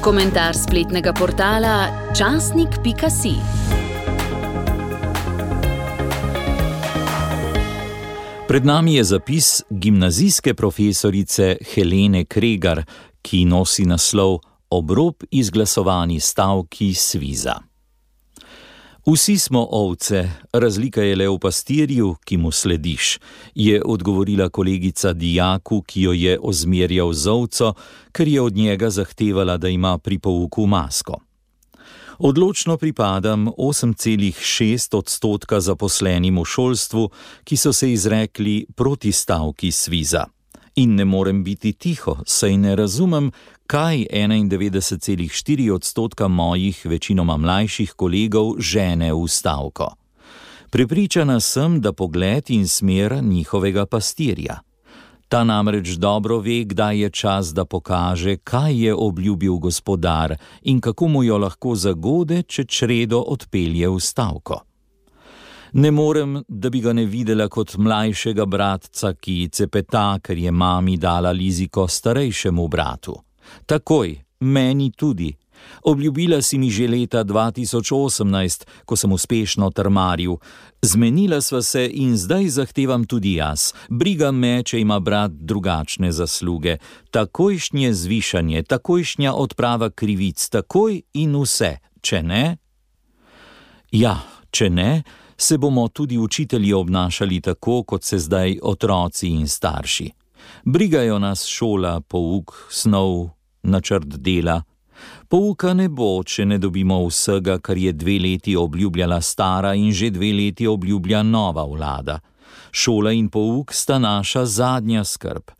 Komentar spletnega portala časnik.si. Pred nami je zapis gimnazijske profesorice Helene Kregar, ki nosi naslov Obrob izglasovani stavki Sviza. Vsi smo ovce, razlika je le v pastirju, ki mu slediš, je odgovorila kolegica dijaku, ki jo je ozmerjal z ovco, ker je od njega zahtevala, da ima pri pouku masko. Odločno pripadam 8,6% zaposlenim v šolstvu, ki so se izrekli proti stavki Sviza. In ne morem biti tiho, saj ne razumem, kaj 91,4% mojih večinoma mlajših kolegov žene v stavko. Prepričana sem, da pogled in smer njihovega pastirja. Ta namreč dobro ve, kdaj je čas, da pokaže, kaj je obljubil gospodar in kako mu jo lahko zagode, če čredo odpelje v stavko. Ne morem, da bi ga ne videla kot mlajšega bratca, ki cepeta, ker je mami dala liziko starejšemu bratu. Takoj, meni tudi. Obljubila si mi že leta 2018, ko sem uspešno trmaril. Zmenila sva se in zdaj zahtevam tudi jaz. Briga me, če ima brat drugačne zasluge. Takojšnje zvišanje, takojšnja odprava krivic, takoj in vse. Če ne? Ja, če ne, se bomo tudi učitelji obnašali tako, kot se zdaj otroci in starši. Brigajo nas šola, pouk, snov, načrt dela. Pouka ne bo, če ne dobimo vsega, kar je 2 leti obljubljala stara in že 2 leti obljublja nova vlada. Šola in pouk sta naša zadnja skrb.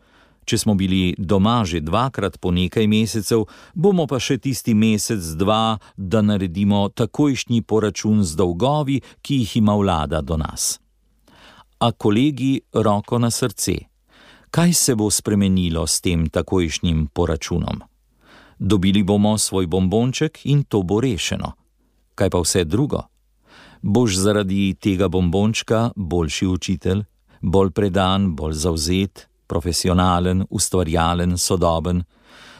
Če smo bili doma že 2-krat po nekaj mesecev, bomo pa še tisti mesec, 2, da naredimo takojšnji poračun z dolgovi, ki jih ima vlada do nas. A kolegi, roko na srce, kaj se bo spremenilo s tem takojšnjim poračunom? Dobili bomo svoj bombonček in to bo rešeno. Kaj pa vse drugo? Boš zaradi tega bombončka boljši učitelj, bolj predan, bolj zavzet, profesionalen, ustvarjalen, sodoben.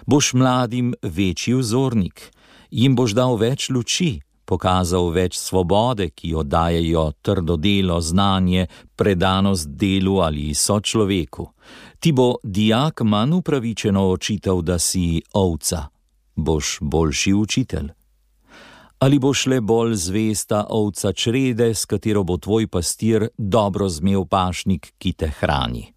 Boš mladim večji vzornik, jim boš dal več luči, pokazal več svobode, ki jo dajejo trdo delo, znanje, predanost delu ali sočloveku. Ti bo dijak manj upravičeno očital, da si ovca. Boš boljši učitelj. Ali boš le bolj zvesta ovca črede, s katero bo tvoj pastir dobro zmel pašnik, ki te hrani.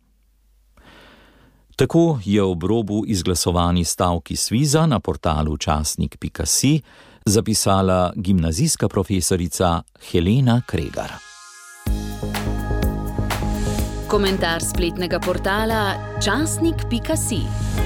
Tako je ob robu izglasovani stavki Sviza na portalu časnik.si zapisala gimnazijska profesorica Helena Kregar. Komentar spletnega portala časnik.si.